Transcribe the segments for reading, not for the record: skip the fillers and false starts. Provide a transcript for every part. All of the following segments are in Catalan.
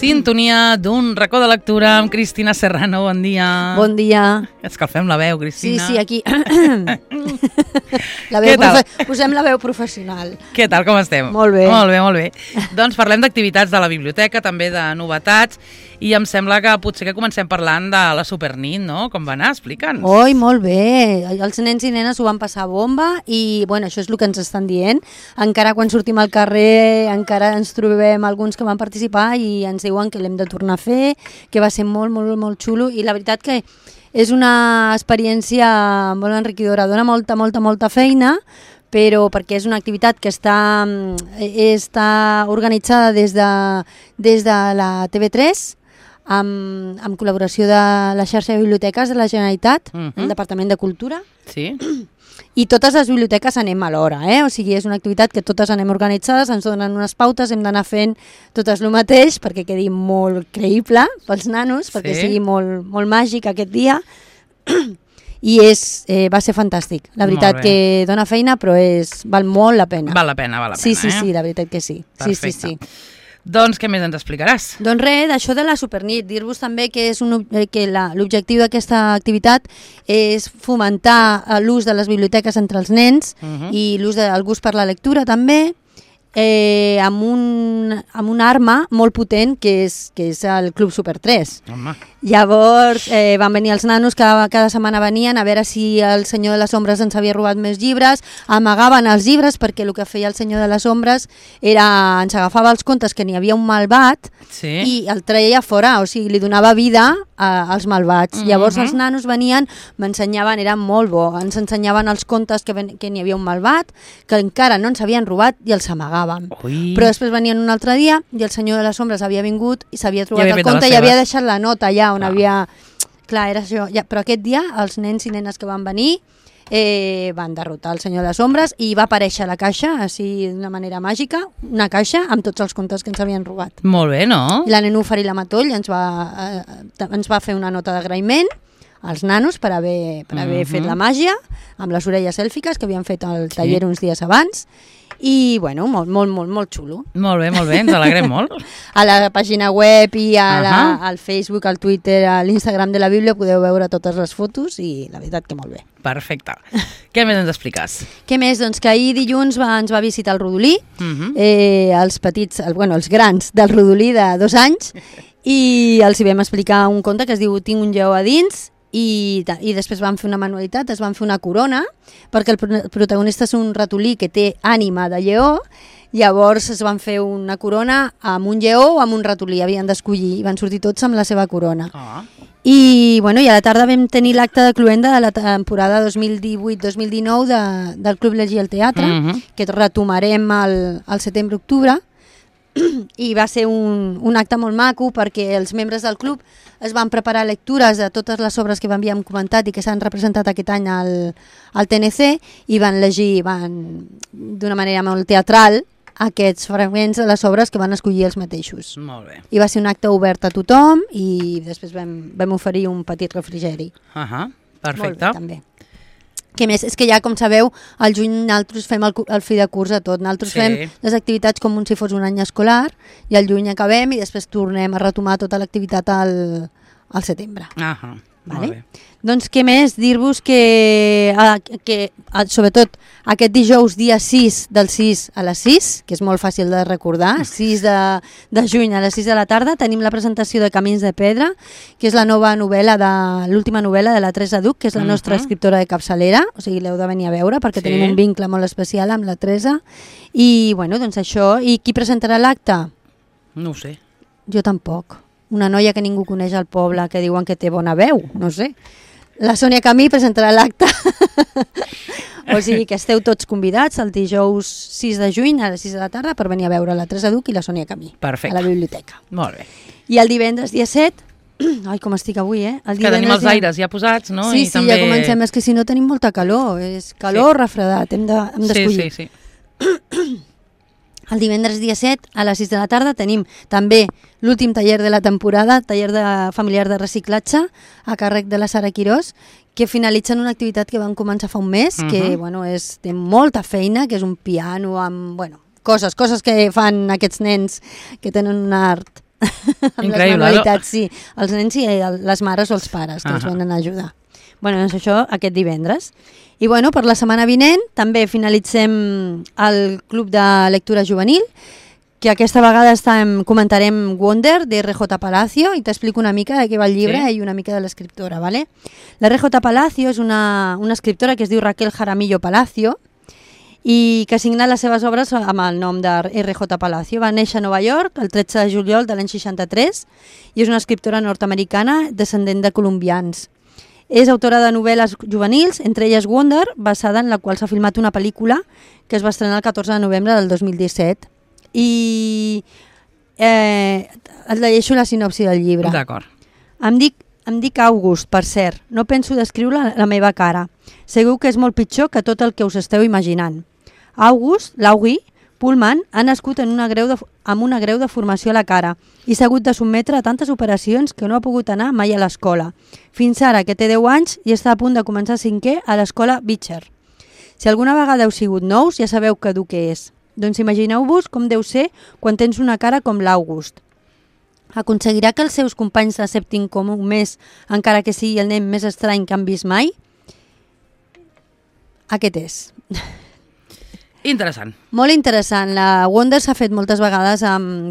Sintonia d'un racó de lectura amb Cristina Serrano. Bon dia. Bon dia. Escalfem la veu, Cristina. Sí, aquí. La veu posem la veu professional. Què tal, com estem? Molt bé. Molt bé. Doncs parlem d'activitats de la biblioteca, també de novetats, i em sembla que potser que comencem parlant de la Supernit, no? Com va anar? Explica'ns. Oi, molt bé. Els nens i nenes ho van passar bomba i, bueno, això és el que ens estan dient. Encara quan sortim al carrer, encara ens trobem alguns que van participar i ens diuen que l'hem de tornar a fer, que va ser molt, molt, molt xulo, i la veritat que és una experiència molt enriquidora, dona molta feina, però perquè és una activitat que està organitzada des de la TV3, amb col·laboració de la xarxa de biblioteques de la Generalitat, el Departament de Cultura. Sí. I totes les biblioteques anem alhora, o sigui, és una activitat que totes anem organitzades, ens donen unes pautes, hem d'anar fent totes el mateix perquè quedi molt creïble pels nanos, perquè sigui molt màgic aquest dia. I va ser fantàstic. La veritat que dona feina, però val molt la pena. Val la pena, Sí, la veritat que sí. Perfecte. Sí. Doncs què més ens explicaràs? Doncs res, d'això de la Supernit, dir-vos també que l'objectiu d'aquesta activitat és fomentar l'ús de les biblioteques entre els nens i el gust per la lectura també, amb una arma molt potent que és el Club Super 3. Home. Llavors van venir els nanos, cada setmana venien a veure si el Senyor de les Ombres ens havia robat més llibres, amagaven els llibres perquè el que feia el Senyor de les Ombres ens agafava els contes que n'hi havia un malvat i el treia fora, o sigui, li donava vida als malvats. Llavors els nanos venien, m'ensenyaven, era molt bo, ens ensenyaven els contes que n'hi havia un malvat, que encara no ens havien robat i els amagàvem. Però després venien un altre dia i el Senyor de les Ombres havia vingut i s'havia trobat el conte i havia deixat la nota allà on havia... Clar, era això. Però aquest dia els nens i nenes que van venir van derrotar el Senyor de les Ombres i va aparèixer a la caixa, així d'una manera màgica, una caixa amb tots els contes que ens havien robat. Molt bé, no? I la Nenúfar i la Matoll ens va fer una nota d'agraïment als nanos per haver fet la màgia amb les orelles èlfiques que havien fet al taller uns dies abans. I, bueno, molt xulo. Molt bé, ens alegrem molt. A la pàgina web i al Facebook, al Twitter, a l'Instagram de la Bíblia podeu veure totes les fotos i la veritat que molt bé. Perfecte. Què més ens expliques? Què més? Doncs que ahir dilluns ens va visitar el Rodolí, els petits, els grans del Rodolí de 2 anys, i els hi vam explicar un conte que es diu Tinc un lleó a dins, i després van fer una manualitat, es van fer una corona, perquè el protagonista és un ratolí que té ànima de lleó, llavors es van fer una corona amb un lleó o amb un ratolí, havien d'escollir, i van sortir tots amb la seva corona. I a la tarda vam tenir l'acte de cloenda de la temporada 2018-2019 del Club Llegir al Teatre, que retomarem al setembre-octubre, i va ser un acte molt maco perquè els membres del club es van preparar lectures de totes les obres que havíem comentat i que s'han representat aquest any al TNC i van llegir d'una manera molt teatral aquests fragments de les obres que van escollir els mateixos. Molt bé. I va ser un acte obert a tothom i després vam oferir un petit refrigeri. Perfecte. Molt bé, també. Què més? És que ja, com sabeu, al juny nosaltres fem el fi de curs a tot. Nosaltres fem les activitats com si fos un any escolar i al juny acabem i després tornem a retomar tota l'activitat al setembre. Molt bé. Doncs què més? Dir-vos que sobretot aquest dijous dia 6 del 6 a les 6, que és molt fàcil de recordar, 6 de juny a les 6 de la tarda, tenim la presentació de Camins de Pedra, que és la nova novel·la, l'última novel·la de la Teresa Duc, que és la nostra escriptora de capçalera, o sigui, l'heu de venir a veure perquè tenim un vincle molt especial amb la Teresa. I, doncs això. I qui presentarà l'acte? No ho sé. Jo tampoc. Una noia que ningú coneix al poble, que diuen que té bona veu, no sé. La Sònia Camí presentarà l'acte. O sigui que esteu tots convidats el dijous 6 de juny a les 6 de la tarda per venir a veure la Teresa Duc i la Sònia Camí. Perfecte. A la biblioteca. Molt bé. I el divendres dia 7... Ai, com estic avui, que tenim els aires ja posats, no? Sí, ja comencem. És que si no tenim molta calor. És calor, refredat. Hem d'escollir. Sí. El divendres dia 7 a les 6 de la tarda tenim també l'últim taller de la temporada, taller familiar de reciclatge a càrrec de la Sara Quirós, que finalitzen una activitat que van començar fa un mes, que té molta feina, que és un piano amb coses que fan aquests nens que tenen un art amb les manualitats, sí. Els nens i les mares o els pares que els venen a ajudar. Bueno, doncs això aquest divendres. I bueno, per la setmana vinent també finalitzem el Club de Lectura Juvenil, que aquesta vegada comentarem Wonder, de R.J. Palacio, i t'explico una mica de què va el llibre i una mica de l'escriptora, ¿vale? La R.J. Palacio és una escriptora que es diu Raquel Jaramillo Palacio, i que ha signat les seves obres amb el nom de R.J. Palacio. Va néixer a Nova York el 13 de juliol de l'any 63 i és una escriptora nord-americana descendent de colombians. És autora de novel·les juvenils, entre elles Wonder, basada en la qual s'ha filmat una pel·lícula que es va estrenar el 14 de novembre del 2017. I et llegeixo la sinopsi del llibre. D'acord. Em dic August, per cert. No penso descriure la meva cara. Segur que és molt pitjor que tot el que us esteu imaginant. August, l'Augi, Pullman, ha nascut amb una greu deformació a la cara i s'ha hagut de sotmetre a tantes operacions que no ha pogut anar mai a l'escola. Fins ara, que té 10 anys i està a punt de començar 5è a l'escola Beecher. Si alguna vegada heu sigut nous, ja sabeu que dur que és. Doncs imagineu-vos com deu ser quan tens una cara com l'August. Aconseguirà que els seus companys l'acceptin com un més, encara que sigui el nen més estrany que han vist mai? Aquest és. Interessant. Molt interessant. La Wonder s'ha fet moltes vegades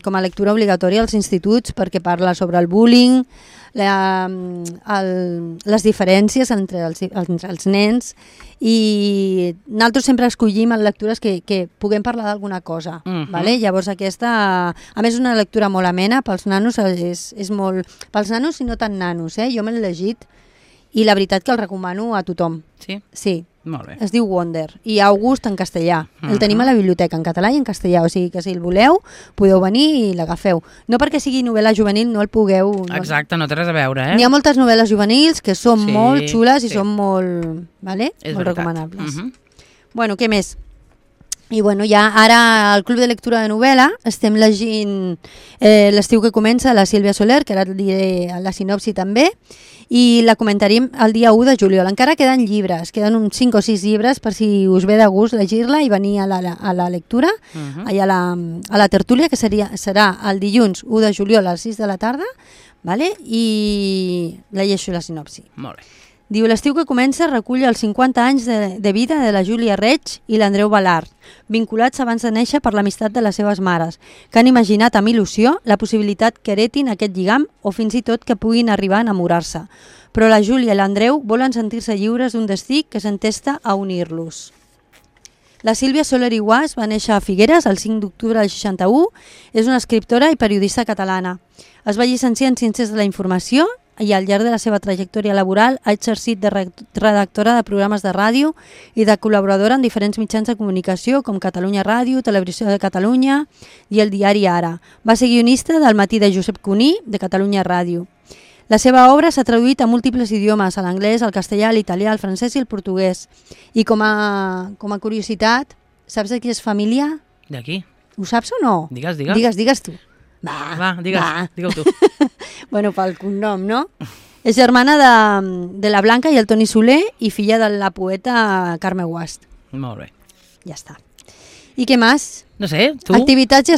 com a lectura obligatòria als instituts perquè parla sobre el bullying, les diferències entre els nens, i nosaltres sempre escollim lectures que puguem parlar d'alguna cosa. Vale? Llavors aquesta, a més, és una lectura molt amena pels nanos, és molt... Pels nanos i no tan nanos, jo me l'he llegit i la veritat que el recomano a tothom. Sí? Sí. Molt bé. Es diu Wonder i August en castellà. El tenim a la biblioteca en català i en castellà, o sigui que si el voleu podeu venir i l'agafeu. No perquè sigui novel·la juvenil no el pugueu... Exacte, no té res a veure, N'hi ha moltes novel·les juvenils que són molt xules i són molt... Vale? És molt veritat. recomanables. Bueno, què més? I bueno, ja ara al Club de Lectura de Novel·la estem llegint l'estiu que comença, la Sílvia Soler, que ara et diré la sinopsi també, i la comentaríem el dia 1 de juliol. Encara queden llibres, queden uns 5 o 6 llibres per si us ve de gust llegir-la i venir a la lectura, allà a la tertúlia, que serà el dilluns 1 de juliol a les 6 de la tarda, vale? I llegeixo la sinopsi. Molt bé. Diu, l'estiu que comença recull els 50 anys de vida de la Júlia Reig i l'Andreu Balart, vinculats abans de néixer per l'amistat de les seves mares, que han imaginat amb il·lusió la possibilitat que heretin aquest lligam o fins i tot que puguin arribar a enamorar-se. Però la Júlia i l'Andreu volen sentir-se lliures d'un destí que s'entesta a unir-los. La Sílvia Soler i Guas va néixer a Figueres el 5 d'octubre del 61, és una escriptora i periodista catalana. Es va llicenciar en Ciències de la Informació i al llarg de la seva trajectòria laboral ha exercit de redactora de programes de ràdio i de col·laboradora en diferents mitjans de comunicació com Catalunya Ràdio, Televisió de Catalunya i el diari Ara. Va ser guionista del Matí de Josep Cuní, de Catalunya Ràdio. La seva obra s'ha traduït a múltiples idiomes, a l'anglès, al castellà, a l'italià, al francès i al portuguès. I com a curiositat, saps de qui és família? D'aquí. Ho saps o no? Digues. Digues tu. Va, digue-ho tu. Bueno, pel cognom, no? És germana de la Blanca i el Toni Soler i filla de la poeta Carme Guast. Molt bé. Ja està. I què més? No sé, tu? Activitats ja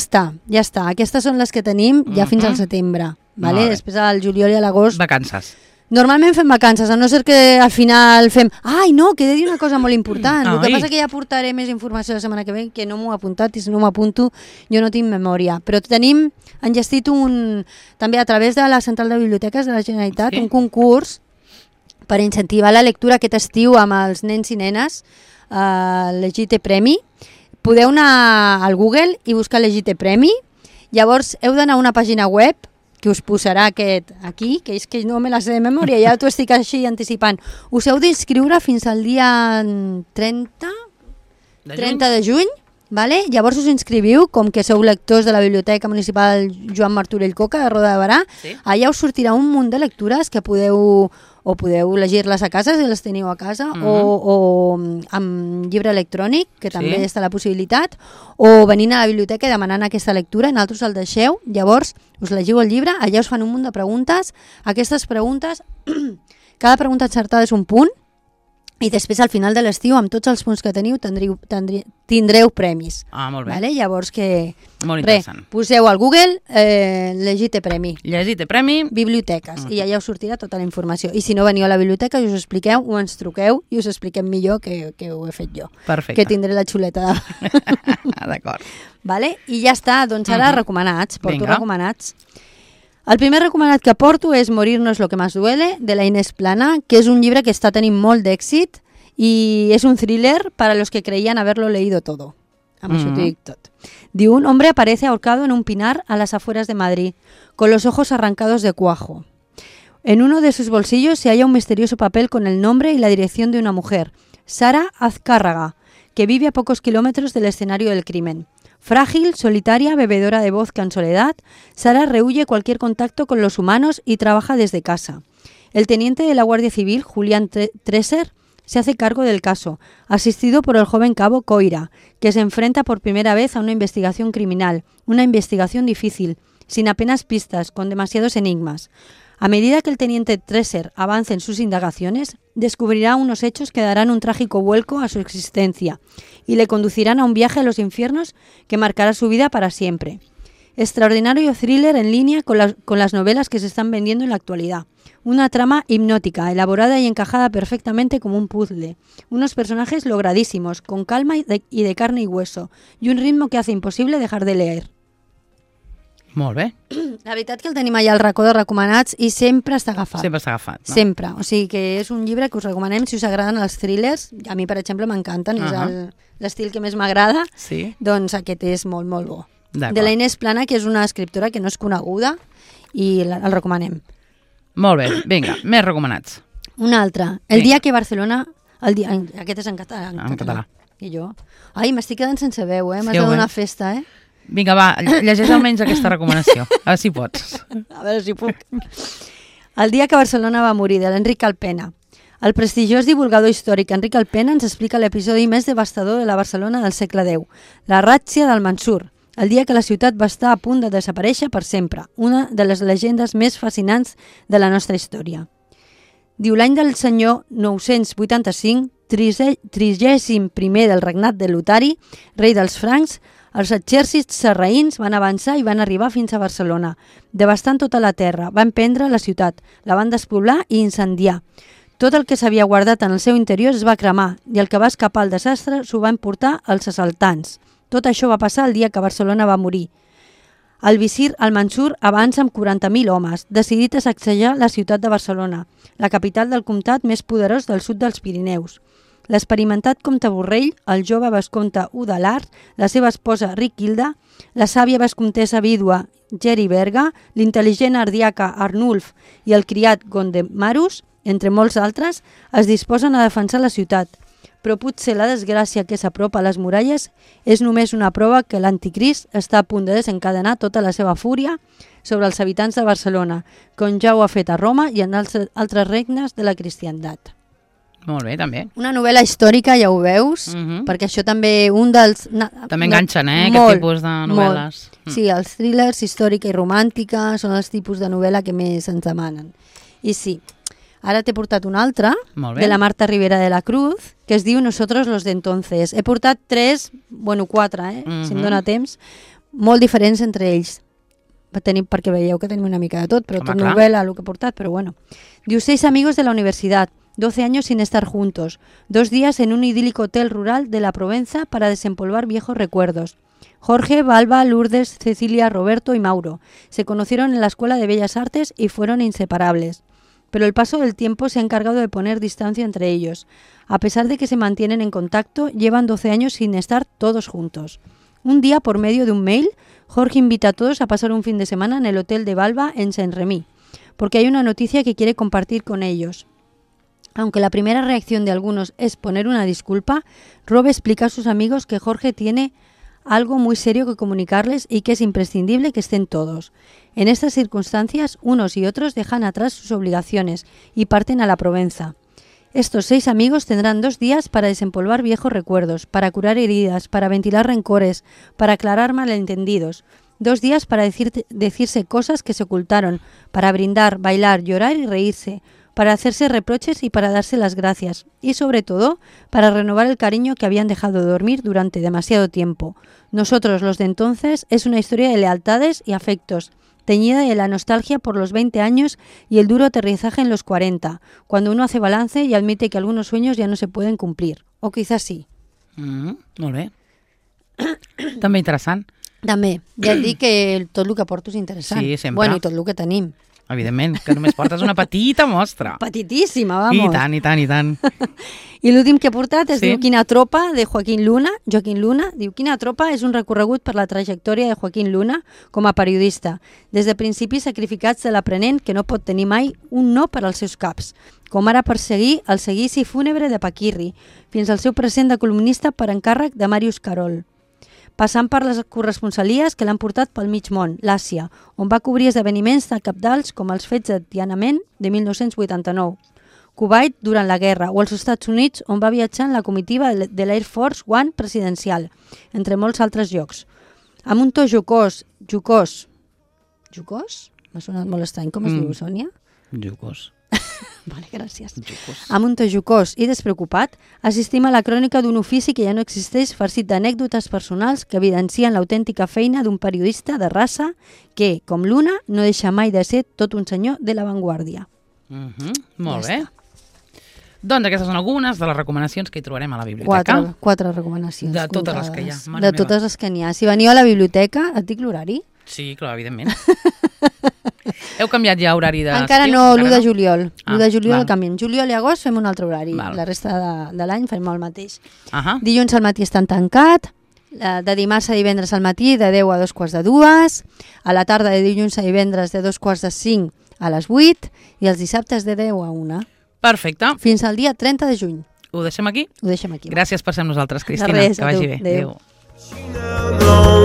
està. Aquestes són les que tenim ja fins al setembre. Vale? Després al juliol i a l'agost. Vacances. Normalment fem vacances, a no ser que al final fem... Ai, no, que he de dir una cosa molt important. El que passa que ja portaré més informació la setmana que ve, que no m'ho he apuntat, i si no m'apunto jo no tinc memòria. Però tenim enllestit també a través de la Central de Biblioteques de la Generalitat, un concurs per incentivar la lectura aquest estiu amb els nens i nenes, l'Egite Premi. Podeu anar al Google i buscar l'Egite Premi. Llavors heu d'anar a una pàgina web que us posarà aquest aquí, que és que no me la sé de memòria, ja t'ho estic així anticipant. Us heu d'inscriure fins al dia 30 de juny, vale? Llavors us inscriviu, com que sou lectors de la Biblioteca Municipal Joan Martorell Coca de Roda de Barà, allà us sortirà un munt de lectures que podeu llegir-les a casa si les teniu a casa, o amb llibre electrònic, que també està la possibilitat, o venint a la biblioteca i demanant aquesta lectura, i nosaltres el deixeu, llavors us llegiu el llibre, allà us fan un munt de preguntes. Aquestes preguntes, cada pregunta encertada és un punt, i després al final de l'estiu, amb tots els punts que teniu, tindreu premis. Molt bé. Vale? Llavors molt interessant. Poseu al Google llegir té premi. Llegir té premi. Biblioteques. I allà us sortirà tota la informació. I si no veniu a la biblioteca i us expliqueu, o ens truqueu i us expliquem millor que ho he fet jo. Perfecte. Que tindré la xuleta. D'acord. Vale? I ja està, doncs ara recomanats. Porto recomanats. El primer recomanat que porto és Morirnos lo que más duele, de la Inés Plana, que és un llibre que està tenint molt d'èxit y es un thriller para los que creían haberlo leído todo. Diu, un hombre aparece ahorcado en un pinar a las afueras de Madrid, con los ojos arrancados de cuajo. En uno de sus bolsillos se halla un misterioso papel con el nombre y la dirección de una mujer, Sara Azcárraga, que vive a pocos kilómetros del escenario del crimen. Frágil, solitaria, bebedora de vodka en soledad, Sara rehúye cualquier contacto con los humanos y trabaja desde casa. El teniente de la Guardia Civil, Julián Treser, se hace cargo del caso, asistido por el joven cabo Coira, que se enfrenta por primera vez a una investigación criminal, una investigación difícil, sin apenas pistas, con demasiados enigmas. A medida que el teniente Treser avance en sus indagaciones, descubrirá unos hechos que darán un trágico vuelco a su existencia y le conducirán a un viaje a los infiernos que marcará su vida para siempre. Extraordinario thriller en línea con las novelas que se están vendiendo en la actualidad. Una trama hipnótica, elaborada y encajada perfectamente como un puzzle. Unos personajes logradísimos, con calma y de carne y hueso, y un ritmo que hace imposible dejar de leer. Molt bé. La veritat que el tenim allà al racó de recomanats i sempre està agafat. Sempre està agafat, no? Sempre. O sigui que és un llibre que us recomanem si us agraden els thrillers. A mi, per exemple, m'encanten. És l'estil que més m'agrada. Sí. Doncs aquest és molt, molt bo. D'acord. De la Inés Plana, que és una escriptora que no és coneguda i el recomanem. Molt bé. Vinga, més recomanats. Un altre. El dia que Barcelona... Aquest és en català. En català. I jo? Ai, m'estic quedant sense veu, eh? M'has de donar festa, eh? Vinga, va, llegeix almenys aquesta recomanació. A veure si pots. A veure si puc. El dia que Barcelona va morir, de l'Enric Alpena. El prestigiós divulgador històric Enric Alpena ens explica l'episodi més devastador de la Barcelona del segle X, la ràtzia del Mansur, el dia que la ciutat va estar a punt de desaparèixer per sempre, una de les llegendes més fascinants de la nostra història. Diu, l'any del senyor 985, 31è del regnat de Lotari, rei dels francs, els exèrcits sarraïns van avançar i van arribar fins a Barcelona, devastant tota la terra, van prendre la ciutat, la van despoblar i incendiar. Tot el que s'havia guardat en el seu interior es va cremar i el que va escapar al desastre s'ho van portar els assaltants. Tot això va passar el dia que Barcelona va morir. El visir Al-Mansur avança amb 40.000 homes, decidit a sacsejar la ciutat de Barcelona, la capital del comtat més poderós del sud dels Pirineus. L'experimentat comte Borrell, el jove vescomte Udalard, la seva esposa Riquilda, la sàvia vescomtessa vídua Geri Berga, l'intel·ligent ardiaca Arnulf i el criat Gondemarus, entre molts altres, es disposen a defensar la ciutat. Però potser la desgràcia que s'apropa a les muralles és només una prova que l'anticrist està a punt de desencadenar tota la seva fúria sobre els habitants de Barcelona, com ja ho ha fet a Roma i en altres regnes de la cristiandat. Molt bé, també. Una novel·la històrica, ja ho veus, perquè això també un dels... També enganxen, aquest tipus de novel·les. Sí, els thrillers, històrica i romàntica, són els tipus de novel·la que més ens demanen. I sí, ara t'he portat una altra, de la Marta Rivera de la Cruz, que es diu Nosotros los de entonces. He portat 4, si em dóna temps, molt diferents entre ells. Perquè veieu que tenim una mica de tot, però tot novel·la el que he portat, però bueno. Diu, 6 amigos de la universidad, 12 años sin estar juntos, 2 días en un idílico hotel rural de la Provenza para desempolvar viejos recuerdos. Jorge, Balba, Lourdes, Cecilia, Roberto y Mauro se conocieron en la Escuela de Bellas Artes y fueron inseparables. Pero el paso del tiempo se ha encargado de poner distancia entre ellos. A pesar de que se mantienen en contacto, llevan 12 años sin estar todos juntos. Un día, por medio de un mail, Jorge invita a todos a pasar un fin de semana en el hotel de Balba en Saint-Rémy, porque hay una noticia que quiere compartir con ellos. Aunque la primera reacción de algunos es poner una disculpa, Rob explica a sus amigos que Jorge tiene algo muy serio que comunicarles y que es imprescindible que estén todos. En estas circunstancias, unos y otros dejan atrás sus obligaciones y parten a la Provenza. Estos 6 amigos tendrán 2 días para desempolvar viejos recuerdos, para curar heridas, para ventilar rencores, para aclarar malentendidos. 2 días para decirse cosas que se ocultaron, para brindar, bailar, llorar y reírse, para hacerse reproches y para darse las gracias, y sobre todo para renovar el cariño que habían dejado dormir durante demasiado tiempo. Nosotros, los de entonces, es una historia de lealtades y afectos, teñida de la nostalgia por los 20 años y el duro aterrizaje en los 40, cuando uno hace balance y admite que algunos sueños ya no se pueden cumplir. O quizás sí. Molt bé. També interessant. També. Ja et dic que tot el que porto és interessant. Sí, sempre. Bueno, i tot el que tenim. Evidentment, que només portes una petita mostra. Petitíssima, vamos. I tant. I l'últim que he portat es Sí. diu Quina tropa, de Joaquín Luna. Diu Quina tropa és un recorregut per la trajectòria de Joaquín Luna com a periodista, des de principis sacrificats de l'aprenent que no pot tenir mai un no per als seus caps, com ara perseguir el seguici fúnebre de Paquirri, fins al seu present de columnista per encàrrec de Màrius Carol, passant per les corresponsalies que l'han portat pel mig món, l'Àsia, on va cobrir esdeveniments de cabdals com els fets de Tiananmen de 1989, Kuwait durant la guerra o als Estats Units, on va viatjar en la comitiva de l'Air Force One presidencial, entre molts altres llocs. Amb un to jocós? M'ha sonat molt estrany. Com es diu, Sònia? Jocós. Vale, gràcies. Jocós. Amb un to jocós i despreocupat, assistim a la crònica d'un ofici que ja no existeix, farcit d'anècdotes personals que evidencien l'autèntica feina d'un periodista de raça que, com Luna, no deixa mai de ser tot un senyor de l'avantguàrdia. Molt bé. Doncs aquestes són algunes de les recomanacions que hi trobarem a la biblioteca. Quatre recomanacions. De totes comptades. les que hi ha. Mare De meva. totes les que n'hi ha. Si veniu a la biblioteca, et dic l'horari? Sí, clar, evidentment. Heu canviat ja horari d'estiu? Encara no, l'1 de juliol. L'1 de juliol val. el canviem. Juliol i agost fem un altre horari. Val. La resta de l'any fem el mateix. Ahà. Dilluns al matí estan tancat, de dimarts a divendres al matí de 10 a 2:45, a la tarda de dilluns a divendres de 2:45 a les 8 i els dissabtes de 10 a 1. Perfecte. Fins al dia 30 de juny. Ho deixem aquí? Ho deixem aquí. Gràcies per ser amb nosaltres, Cristina. De res, que vagi a bé. tu. Adéu. Adéu.